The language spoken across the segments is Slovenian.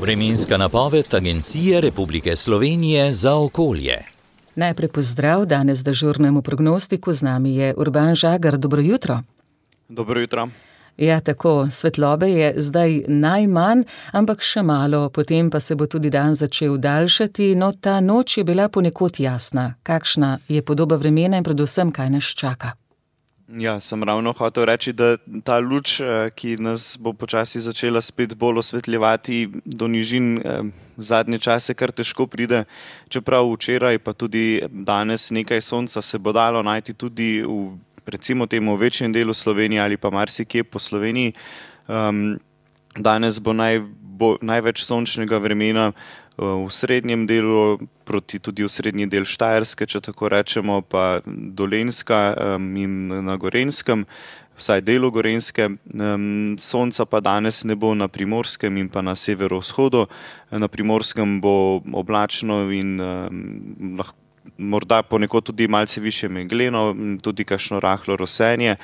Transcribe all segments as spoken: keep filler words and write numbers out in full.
Vremenska napoved Agencije Republike Slovenije za okolje. Najprej pozdrav danes dežurnemu prognostiku, z nami je Urban Žagar. Dobro jutro. Dobro jutro. Ja, tako, svetlobe je zdaj najmanj, ampak še malo, potem pa se bo tudi dan začel daljšati, no ta noč je bila ponekod jasna. Kakšna je podoba vremena in predvsem, kaj nas čaka? Ja, sem ravno hotel reči, da ta luč, ki nas bo počasi začela spet bolj osvetljevati do nižin, zadnje čase kar težko pride, čeprav včeraj pa tudi danes nekaj sonca se bo dalo najti tudi v recimo temu v večjem delu Slovenije ali pa marsikje po Sloveniji. Um, danes bo, naj, bo največ sončnega vremena v srednjem delu, proti tudi v srednji del Štajerske, če tako rečemo, pa Dolenjska um, in na Gorenjskem, vsaj delu Gorenjske. Um, sonca pa danes ne bo na Primorskem in pa na severovzhodu. Na Primorskem bo oblačno in um, lahko morda ponekod tudi malce više megleno, tudi kakšno rahlo rosenje.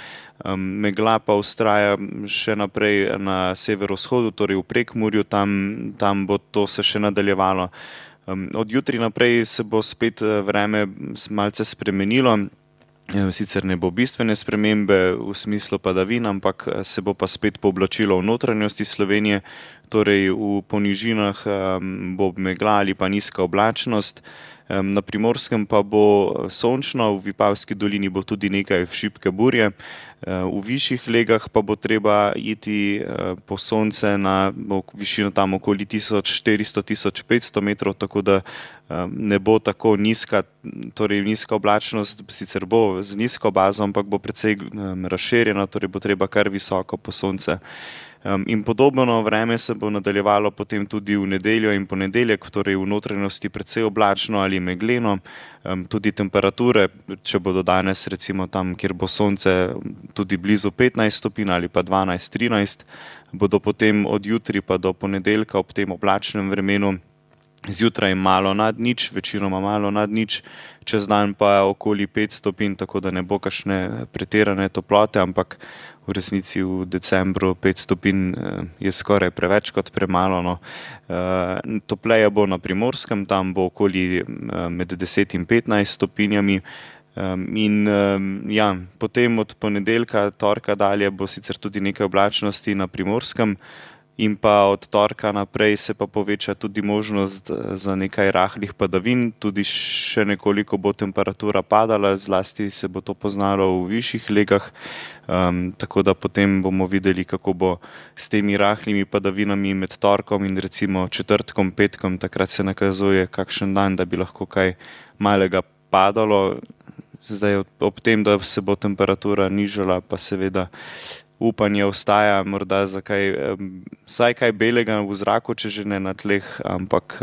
Megla pa vztraja še naprej na severovzhodu, torej v Prekmurju, tam, tam bo to se še nadaljevalo. Od jutri naprej se bo spet vreme malce spremenilo, sicer ne bo bistvene spremembe v smislu padavin, ampak se bo pa spet pooblačilo v notranjosti Slovenije, torej v ponižinah bo megla ali pa nizka oblačnost. Na Primorskem pa bo sončno, v Vipavski dolini bo tudi nekaj šibke burje, v višjih legah pa bo treba iti po sonce na višino tam okoli tisoč štiristo do tisoč petsto metrov, tako da ne bo tako nizka, torej nizka oblačnost, sicer bo z nizko bazo, ampak bo precej razširjena, torej bo treba kar visoko po sonce. In podobno vreme se bo nadaljevalo potem tudi v nedeljo in ponedeljek, torej v notranjosti precej oblačno ali megleno. Tudi temperature, če bodo danes recimo tam, kjer bo sonce tudi blizu petnajst stopinj ali pa dvanajst trinajst, bodo potem od jutri pa do ponedeljka ob tem oblačnem vremenu zjutraj malo nad nič, večinoma malo nad nič, čez dan pa okoli pet stopinj, tako da ne bo kakšne pretirane toplote, ampak v resnici v decembru pet stopinj je skoraj preveč kot premalo. No. Topleje bo na Primorskem, tam bo okoli med deset in petnajst stopinjami. In ja, potem od ponedeljka, torka dalje bo sicer tudi nekaj oblačnosti na Primorskem, in pa od torka naprej se pa poveča tudi možnost za nekaj rahlih padavin, tudi še nekoliko bo temperatura padala, zlasti se bo to poznalo v višjih legah, um, tako da potem bomo videli, kako bo s temi rahlimi padavinami med torkom in recimo četrtkom, petkom, takrat se nakazuje kakšen dan, da bi lahko kaj malega padalo. Zdaj ob tem, da se bo temperatura nižala, pa seveda upanje ostaja morda za kaj, vsaj kaj belega v zraku, če že ne na tleh, ampak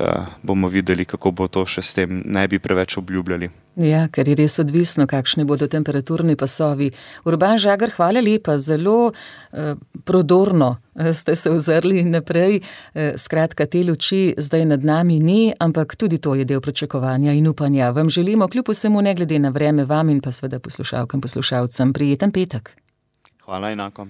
bomo videli, kako bo to še s tem, ne bi preveč obljubljali. Ja, ker je res odvisno, kakšni bodo temperaturni pasovi. Urban Žagar, hvala lepa, zelo eh, prodorno ste se ozrli naprej. Eh, skratka, te luči zdaj nad nami ni, ampak tudi to je del pričakovanja in upanja. Vam želimo kljub vsemu, ne glede na vreme, vam in pa seveda poslušalkam, poslušalcem, prijeten petek. Hvala enako.